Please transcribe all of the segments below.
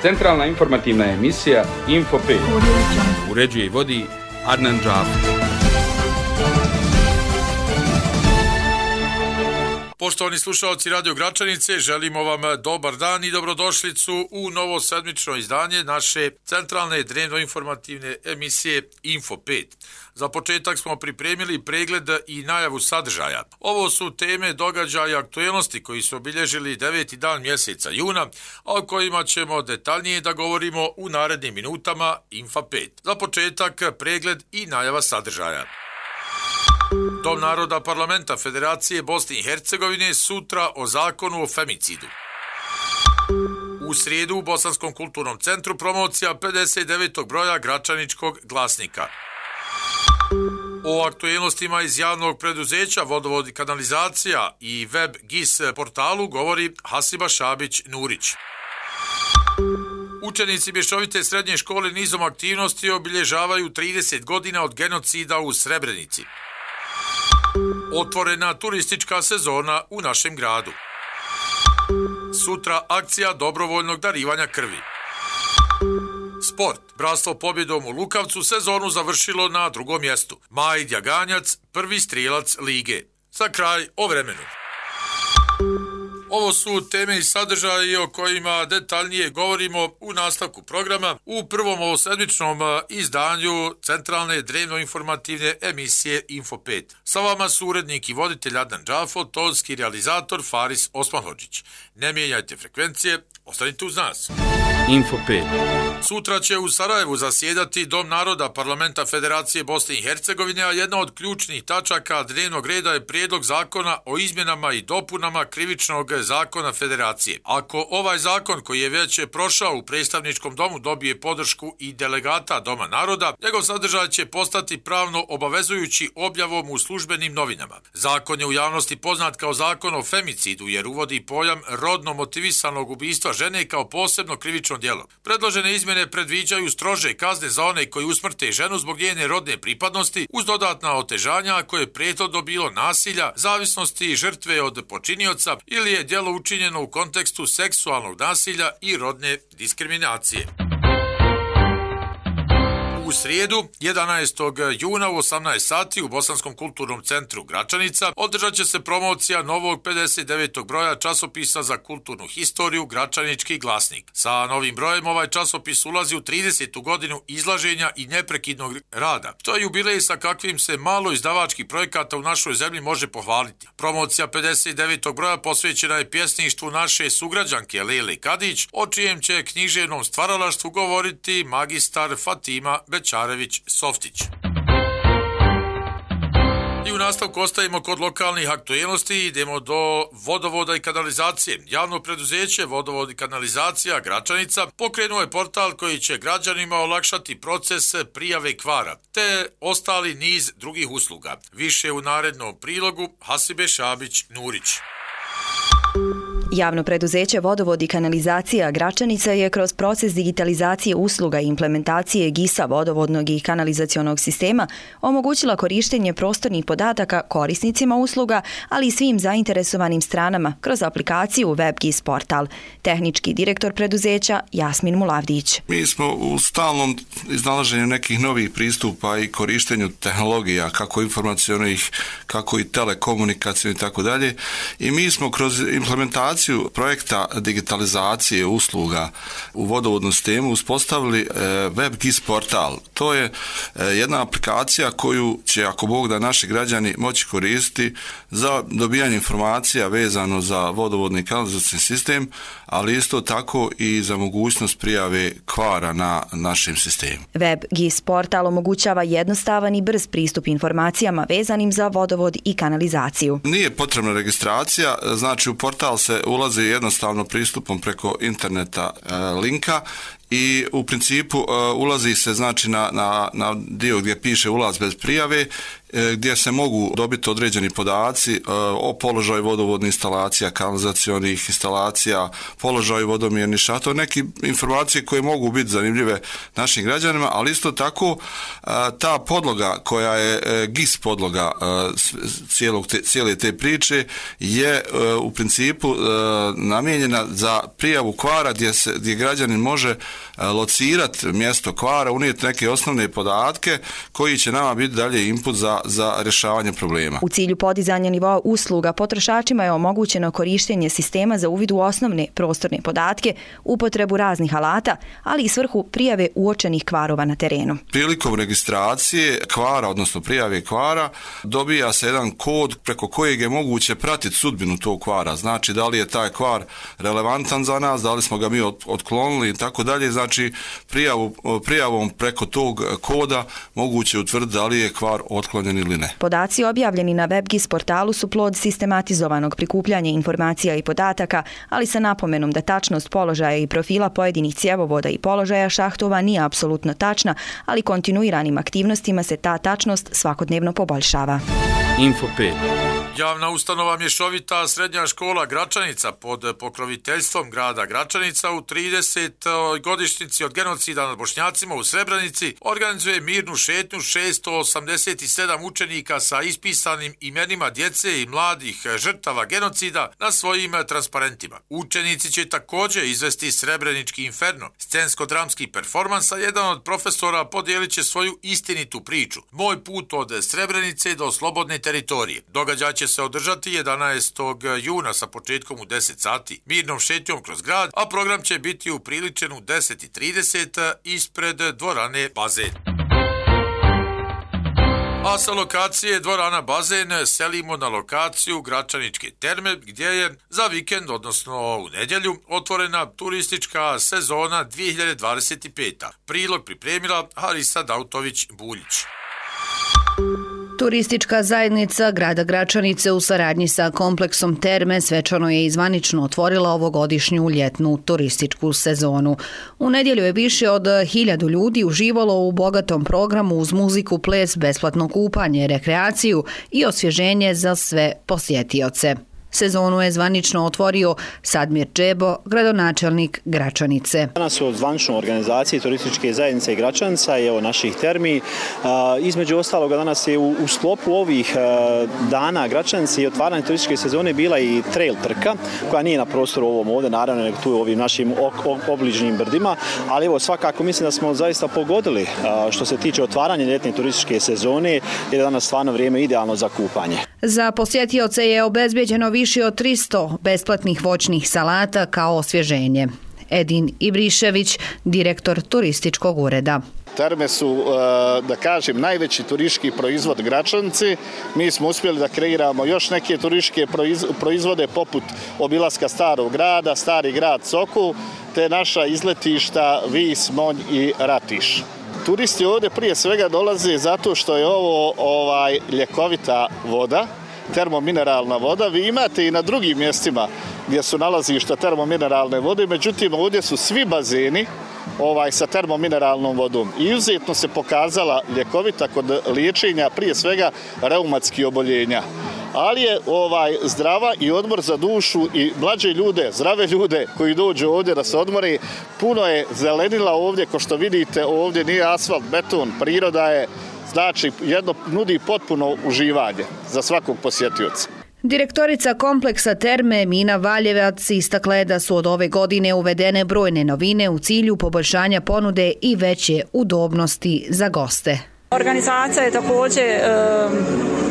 Centralna informativna emisija Info 5. Uređuje i vodi Adnan Džafer. Poštovani slušalci Radio Gračanice, želimo vam dobar dan i dobrodošlicu u novo sedmično izdanje naše centralne dnevno-informativne emisije Info 5. Za početak smo pripremili pregled i najavu sadržaja. Ovo su teme, događaja i aktuelnosti koji su obilježili 9. dan mjeseca juna, a o kojima ćemo detaljnije da govorimo u narednim minutama Info 5. Za početak pregled i najava sadržaja. Dom naroda Parlamenta Federacije Bosne i Hercegovine sutra o zakonu o femicidu. U srijedu u Bosanskom kulturnom centru promocija 59. broja Gračaničkog glasnika. O aktuelnostima iz javnog preduzeća Vodovod i kanalizacija i web GIS portalu govori Hasiba Šabić-Nurić. Učenici Mješovite srednje škole nizom aktivnosti obilježavaju 30 godina od genocida u Srebrenici. Otvorena turistička sezona u našem gradu. Sutra akcija dobrovoljnog darivanja krvi. Sport. Bratstvo pobjedom u Lukavcu sezonu završilo na drugom mjestu. Maj Djaganjac, prvi strijelac lige. Za kraj o vremenu. Ovo su teme i sadržaje o kojima detaljnije govorimo u nastavku programa u prvom ovosedmičnom izdanju centralne dnevno-informativne emisije Info 5. Sa vama su urednik i voditelj Adnan Džafer, tonski realizator Faris Osmanhodžić. Ne mijenjajte frekvencije, ostanite uz nas. Info 5. Sutra će u Sarajevu zasjedati Dom naroda Parlamenta Federacije Bosne i Hercegovine, a jedna od ključnih tačaka dnevnog reda je prijedlog zakona o izmjenama i dopunama krivičnog zakona Federacije. Ako ovaj zakon koji je već prošao u predstavničkom domu dobije podršku i delegata Doma naroda, njegov sadržaj će postati pravno obavezujući objavom u službenim novinama. Zakon je u javnosti poznat kao zakon o femicidu jer uvodi pojam rodno motivisanog ubistva žene kao posebno krivično djelo. Predložene izmjene predviđaju strože kazne za one koji usmrte ženu zbog njene rodne pripadnosti uz dodatna otežanja koje je prethodno bilo nasilja, zavisnosti žrtve od počinioca ili je djelo učinjeno u kontekstu seksualnog nasilja i rodne diskriminacije. U srijedu, 11. juna u 18 sati u Bosanskom kulturnom centru Gračanica održat će se promocija novog 59. broja časopisa za kulturnu historiju Gračanički glasnik. Sa novim brojem ovaj časopis ulazi u 30. godinu izlaženja i neprekidnog rada. To je jubilej sa kakvim se malo izdavačkih projekata u našoj zemlji može pohvaliti. Promocija 59. broja posvećena je pjesništvu naše sugrađanke Lele Kadić, o čijem će književnom stvaralaštvu govoriti magistar Fatima Bećarević-Softić. I u nastavku ostajemo kod lokalnih aktuelnosti i idemo do vodovoda i kanalizacije. Javno preduzeće Vodovod i kanalizacija Gračanica pokrenuo je portal koji će građanima olakšati proces prijave kvara, te ostali niz drugih usluga. Više u narednom prilogu Hasibe Šabić-Nurić. Javno preduzeće Vodovod i kanalizacija Gračanica je kroz proces digitalizacije usluga i implementacije GIS-a vodovodnog i kanalizacionog sistema omogućila korištenje prostornih podataka korisnicima usluga, ali i svim zainteresovanim stranama kroz aplikaciju Web GIS portal. Tehnički direktor preduzeća Jasmin Mulavdić. Mi smo u stalnom iznalaženju nekih novih pristupa i korištenju tehnologija, kako informacionih, kako i telekomunikacijnih i tako dalje. I mi smo kroz implementaciju projekta digitalizacije usluga u vodovodnom sistemu uspostavili Web GIS portal. To je jedna aplikacija koju će, ako Bog da, naši građani moći koristiti za dobijanje informacija vezano za vodovodni i kanalizacijski sistem, ali isto tako i za mogućnost prijave kvara na našem sistemu. Web GIS portal omogućava jednostavan i brz pristup informacijama vezanim za vodovod i kanalizaciju. Nije potrebna registracija, znači u portal se ulazi jednostavno pristupom preko interneta linka i u principu ulazi se znači na dio gdje piše ulaz bez prijave gdje se mogu dobiti određeni podaci o položaju vodovodnih instalacija, kanalizacionih instalacija, položaju vodomjernih šatora, neke informacije koje mogu biti zanimljive našim građanima, ali isto tako ta podloga koja je GIS podloga cijele te priče je u principu namijenjena za prijavu kvara gdje građanin može locirati mjesto kvara, unijeti neke osnovne podatke koji će nama biti dalje input za rješavanje problema. U cilju podizanja nivoa usluga potrošačima je omogućeno korištenje sistema za uvid u osnovne prostorne podatke, upotrebu raznih alata, ali i svrhu prijave uočenih kvarova na terenu. Prilikom registracije kvara, odnosno prijave kvara, dobija se jedan kod preko kojeg je moguće pratiti sudbinu tog kvara. Znači, da li je taj kvar relevantan za nas, da li smo ga mi otklonili i tako dalje. Znači, prijavom preko tog koda moguće utvrditi da li je kvar otklonjen ili ne. Podaci objavljeni na WebGIS portalu su plod sistematizovanog prikupljanja informacija i podataka, ali sa napomenom da tačnost položaja i profila pojedinih cjevovoda i položaja šahtova nije apsolutno tačna, ali kontinuiranim aktivnostima se ta tačnost svakodnevno poboljšava. Info 5. Javna ustanova Mješovita srednja škola Gračanica pod pokroviteljstvom grada Gračanica u 30. godišnjici od genocida nad Bošnjacima u Srebrenici organizuje mirnu šetnju 687 učenika sa ispisanim imenima djece i mladih žrtava genocida na svojim transparentima. Učenici će također izvesti Srebrenički inferno, scensko-dramski performans, a jedan od profesora podijelit će svoju istinitu priču. Moj put od Srebrenice do slobodne teritorije. Događaj će se održati 11. juna sa početkom u 10 sati mirnom šetnjom kroz grad, a program će biti upriličen u 10:30 ispred dvorane Bazen. A sa lokacije dvorana Bazen selimo na lokaciju Gračaničke terme, gdje je za vikend, odnosno u nedjelju, otvorena turistička sezona 2025. Prilog pripremila Harisa Dautović-Buljić. Turistička zajednica grada Gračanice u saradnji sa kompleksom Terme svečano je i zvanično otvorila ovogodišnju ljetnu turističku sezonu. U nedjelju je više od 1000 ljudi uživalo u bogatom programu uz muziku, ples, besplatno kupanje, rekreaciju i osvježenje za sve posjetioce. Sezonu je zvanično otvorio Sadmir Džebo, gradonačelnik Gračanice. Danas u zvaničnoj organizaciji turističke zajednice i Gračanca i naših termi. Između ostaloga danas je u sklopu ovih dana Gračanice i otvaranje turističke sezone bila i trail trka, koja nije na prostoru ovom ovdje, naravno, nego tu u ovim našim obližnjim brdima, ali evo svakako mislim da smo zaista pogodili što se tiče otvaranja ljetne turističke sezone, jer je danas stvarno vrijeme idealno za kupanje. Za posjetioce je obezbeđeno više od 300 besplatnih voćnih salata kao osvježenje. Edin Ibrišević, direktor turističkog ureda. Terme su, da kažem, najveći turistički proizvod Gračanci. Mi smo uspjeli da kreiramo još neke turističke proizvode poput obilaska Starog grada, Stari grad Sokol, te naša izletišta Vis, Monj i Ratiš. Turisti ovdje prije svega dolaze zato što je ovo ljekovita voda, termomineralna voda. Vi imate i na drugim mjestima gdje su nalazišta termomineralne vode, međutim ovdje su svi bazeni sa termomineralnom vodom. I izuzetno se pokazala ljekovita kod liječenja prije svega reumatskih oboljenja. Ali je zdrava i odmor za dušu i mlađe ljude, zdrave ljude koji dođu ovdje da se odmore. Puno je zelenila ovdje, ko što vidite, ovdje nije asfalt, beton, priroda je, znači nudi potpuno uživanje za svakog posjetioca. Direktorica kompleksa Terme Mina Valjevac istakla je da su od ove godine uvedene brojne novine u cilju poboljšanja ponude i veće udobnosti za goste. Organizacija je također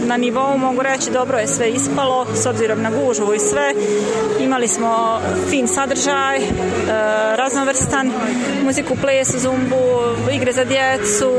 na nivou, mogu reći, dobro je sve ispalo, s obzirom na gužvu i sve. Imali smo fin sadržaj, raznovrstan, muziku, ples, zumbu, igre za djecu,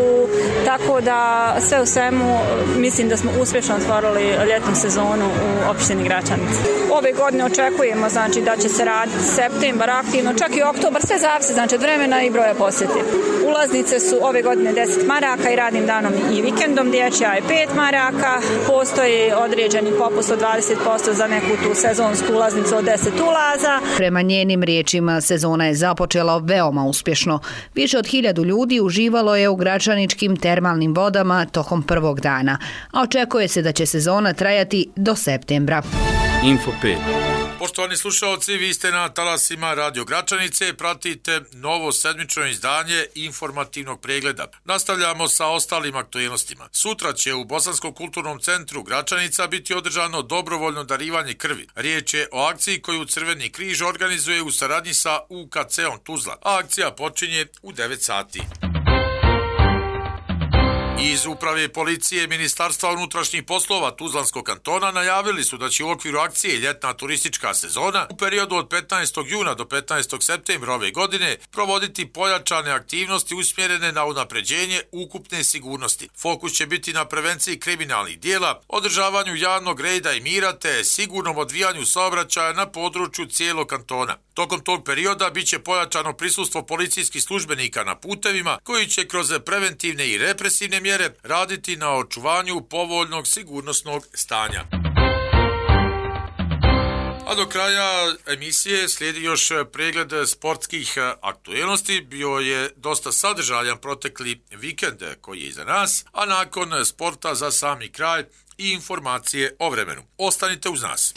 tako da sve u svemu mislim da smo uspješno otvorili ljetnu sezonu u opštini Gračanice. Ove godine očekujemo da će se raditi septembar aktivno, čak i oktobar, sve zavisi od vremena i broja posjeti. Ulaznice su ove godine 10 maraka i radnim danom i vikendom, dječja je 5 maraka, postoji određeni popust od 20% za neku tu sezonsku ulaznicu od 10 ulaza. Prema njenim riječima, sezona je započela veoma uspješno. Više od 1000 ljudi uživalo je u gračaničkim termalnim vodama tokom prvog dana, a očekuje se da će sezona trajati do septembra. Info 5. Poštovani slušalci, vi ste na talasima Radio Gračanice, pratite novo sedmično izdanje informativnog pregleda. Nastavljamo sa ostalim aktualnostima. Sutra će u Bosanskom kulturnom centru Gračanica biti održano dobrovoljno darivanje krvi. Riječ je o akciji koju Crveni križ organizuje u saradnji sa UKC-om Tuzla, a akcija počinje u 9 sati. Iz Uprave policije Ministarstva unutrašnjih poslova Tuzlanskog kantona najavili su da će u okviru akcije Ljetna turistička sezona u periodu od 15. juna do 15. septembra ove godine provoditi pojačane aktivnosti usmjerene na unapređenje ukupne sigurnosti. Fokus će biti na prevenciji kriminalnih dijela, održavanju javnog reda i mira te sigurnom odvijanju saobraćaja na području cijelog kantona. Tokom tog perioda bit će pojačano prisustvo policijskih službenika na putevima koji će kroz preventivne i represivne mjere raditi na očuvanju povoljnog sigurnosnog stanja. A do kraja emisije slijedi još pregled sportskih aktualnosti. Bio je dosta sadržajan protekli vikend koji je iza nas, a nakon sporta za sami kraj i informacije o vremenu. Ostanite uz nas.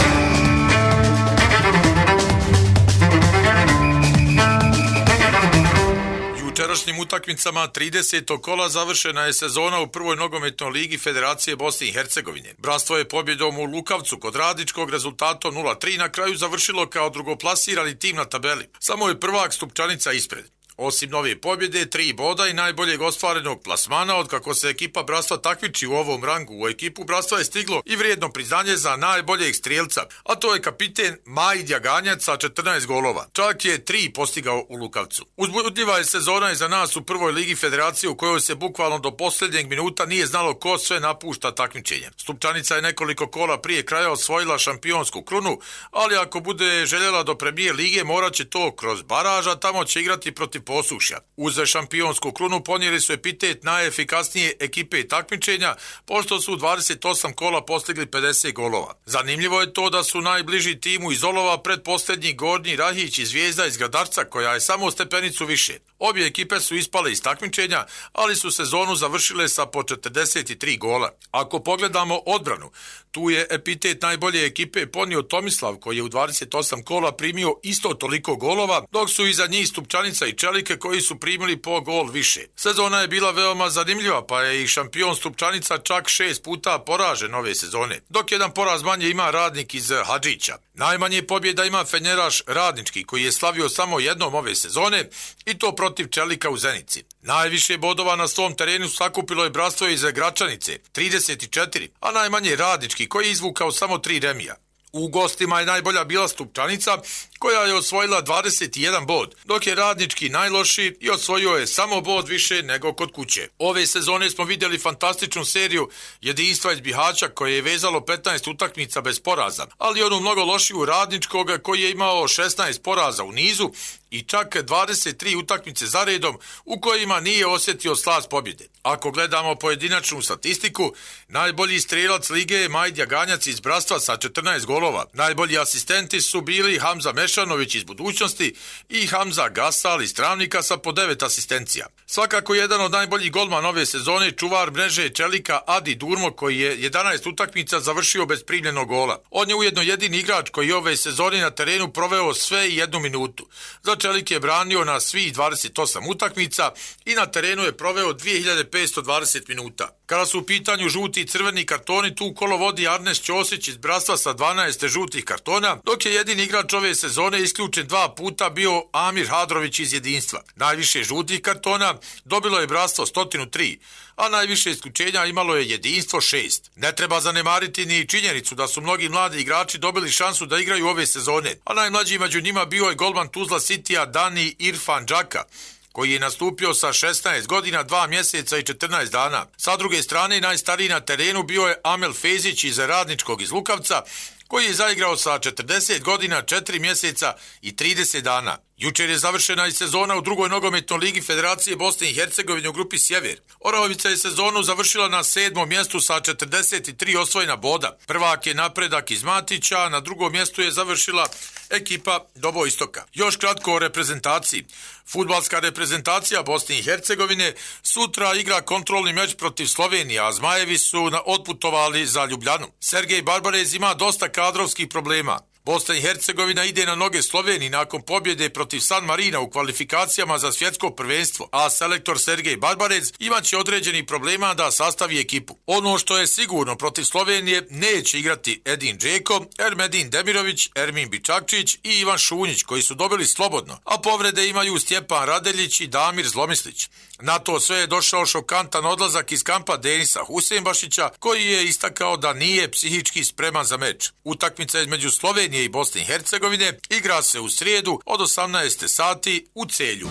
Jučerašnjim utakmicama 30. kola završena je sezona u prvoj nogometnoj ligi Federacije Bosne i Hercegovine. Bratstvo je pobjedom u Lukavcu kod Radničkog rezultatom 0-3 na kraju završilo kao drugoplasirani tim na tabeli. Samo je prvak Stupčanica ispred. Osim nove pobjede, 3 boda i najboljeg ostvarenog plasmana od kako se ekipa Bratstva takmiči u ovom rangu. U ekipu Bratstva je stiglo i vrijedno priznanje za najboljeg strijelca, a to je kapiten Majdja Ganjac sa 14 golova. Čak je 3 postigao u Lukavcu. Uzbudljiva je sezona iza nas u prvoj ligi Federacije u kojoj se bukvalno do posljednjeg minuta nije znalo ko sve napušta takmičenje. Stupčanica je nekoliko kola prije kraja osvojila šampionsku krunu, ali ako bude željela do premijer lige morat će to kroz baraža, tamo će igrati protiv Posušja. Uz šampionsku krunu ponijeli su epitet najefikasnije ekipe takmičenja, pošto su 28 kola postigli 50 golova. Zanimljivo je to da su najbliži timu iz Olova predposljednji Gornji Rahić i Zvijezda iz Gradarca, koja je samo stepenicu više. Obje ekipe su ispale iz takmičenja, ali su sezonu završile sa po 43 gola. Ako pogledamo odbranu, tu je epitet najbolje ekipe ponio Tomislav, koji je u 28 kola primio isto toliko golova, dok su iza njih Stupčanica i Čelike koji su primili po gol više. Sezona je bila veoma zanimljiva, pa je i šampion Stupčanica čak 6 puta poražen ove sezone, dok jedan poraz manje ima Radnik iz Hadžića. Najmanje pobjeda ima Fenjeraš Radnički, koji je slavio samo jednom ove sezone i to protiv Čelika u Zenici. Najviše bodova na svom terenu sakupilo je Bratstvo iz Gračanice, 34, a najmanje Radnički, koji je izvukao samo 3 remija. U gostima je najbolja bila Stupčanica, koja je osvojila 21 bod, dok je Radnički najlošiji i osvojio je samo bod više nego kod kuće. Ove sezone smo vidjeli fantastičnu seriju jedinstva iz Bihaća koje je vezalo 15 utakmica bez poraza, ali onu mnogo lošiju Radničkog koji je imao 16 poraza u nizu i čak 23 utakmice za redom u kojima nije osjetio slast pobjede. Ako gledamo pojedinačnu statistiku, najbolji strelac lige je Majdja Ganjac iz Bratstva sa 14 golova. Najbolji asistenti su bili Hamza Mešanović iz Budućnosti i Hamza Gasal iz Travnika sa po 9 asistencija. Svakako jedan od najboljih golman ove sezone čuvar mreže Čelika Adi Durmo, koji je 11 utakmica završio bez primljenog gola. On je ujedno jedini igrač koji ove sezone na terenu proveo sve i 1 minutu. Za Čelik je branio na svih 28 utakmica i na terenu je proveo 2520 minuta. Kada su u pitanju žuti i crveni kartoni, tu kolo vodi Arnes Ćosić iz Bratstva sa 12 žutih kartona, dok je jedini igrač ove sezone isključen 2 puta bio Amir Hadrović iz Jedinstva. Najviše žutih kartona dobilo je Bratstvo 103, a najviše isključenja imalo je Jedinstvo 6. Ne treba zanemariti ni činjenicu da su mnogi mladi igrači dobili šansu da igraju ove sezone, a najmlađi među njima bio je golman Tuzla Citya Dani Irfan Džaka, koji je nastupio sa 16 godina, 2 mjeseca i 14 dana. Sa druge strane, najstariji na terenu bio je Amel Fezić iz Radničkog iz Lukavca, koji je zaigrao sa 40 godina, 4 mjeseca i 30 dana. Jučer je završena i sezona u drugoj nogometnoj ligi Federacije Bosne i Hercegovine u grupi Sjever. Orahovica je sezonu završila na 7. mjestu sa 43 osvojena boda. Prvak je Napredak iz Matića, na drugom mjestu je završila ekipa Dobo Istoka. Još kratko o reprezentaciji. Fudbalska reprezentacija Bosne i Hercegovine sutra igra kontrolni meč protiv Slovenije, a Zmajevi su otputovali za Ljubljanu. Sergej Barbarez ima dosta kadrovskih problema. Bosna i Hercegovina ide na noge Sloveniji nakon pobjede protiv San Marina u kvalifikacijama za svjetsko prvenstvo, a selektor Sergej Barbarez imaće određenih problema da sastavi ekipu. Ono što je sigurno, protiv Slovenije neće igrati Edin Džeko, Ermedin Demirović, Ermin Bičakčić i Ivan Šunjić, koji su dobili slobodno, a povrede imaju Stjepan Radeljić i Damir Zlomislić. Na to sve je došao šokantan odlazak iz kampa Denisa Husein-Bašića, koji je istakao da nije psihički spreman za meč. Utakmica između Slovenije i Bosne i Hercegovine igra se u srijedu od 18 sati u Celju.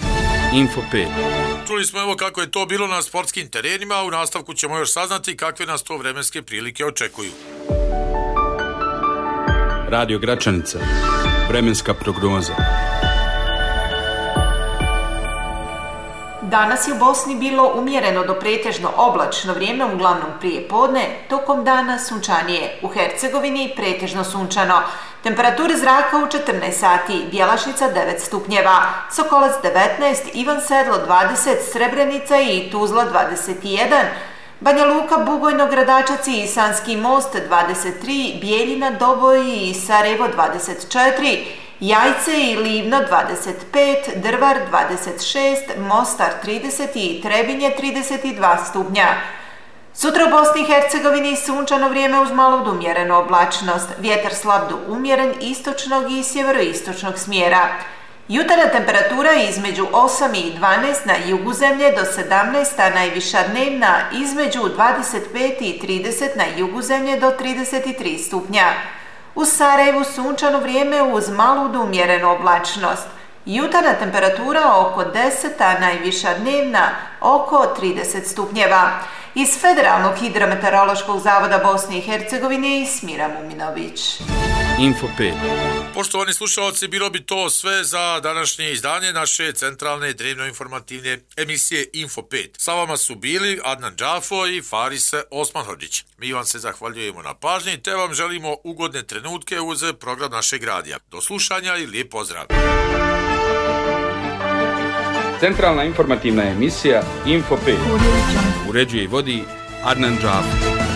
Info 5. Čuli smo evo kako je to bilo na sportskim terenima, u nastavku ćemo još saznati kakve nas to vremenske prilike očekuju. Radio Gračanica. Vremenska prognoza. Danas je u Bosni bilo umjereno do pretežno oblačno vrijeme, uglavnom prije podne, tokom dana sunčanije. U Hercegovini pretežno sunčano. Temperature zraka u 14 sati, Bjelašnica 9 stupnjeva, Sokolac 19, Ivan Sedlo 20, Srebrenica i Tuzla 21, Banja Luka, Bugojno, Gradačac i Sanski most 23, Bijeljina, Doboj i Sarajevo 24, Jajce i Livno 25, Drvar 26, Mostar 30 i Trebinje 32 stupnja. Sutra u Bosni i Hercegovini sunčano vrijeme uz malo do umjerenu oblačnost, vjetar slab do umjeren istočnog i sjeveroistočnog smjera. Jutarnja temperatura između 8 i 12 na jugu zemlje do 17, a najviša dnevna između 25 i 30 na jugu zemlje do 33 stupnja. U Sarajevu sunčano vrijeme uz malu do umjerenu oblačnost. Jutarnja temperatura oko 10, a najviša dnevna oko 30 stupnjeva. Iz Federalnog hidrometeorološkog zavoda Bosne i Hercegovine i Smira Muminović. Info 5. Poštovani slušalci, bilo bi to sve za današnje izdanje naše centralne dnevno-informativne emisije Info 5. Sa vama su bili Adnan Džafo i Faris Osmanhodžić. Mi vam se zahvaljujemo na pažnji te vam želimo ugodne trenutke uz program našeg radija. Do slušanja i lijep pozdrav. Centralna informativna emisija Info 5. Uređuje i vodi Adnan Džafo.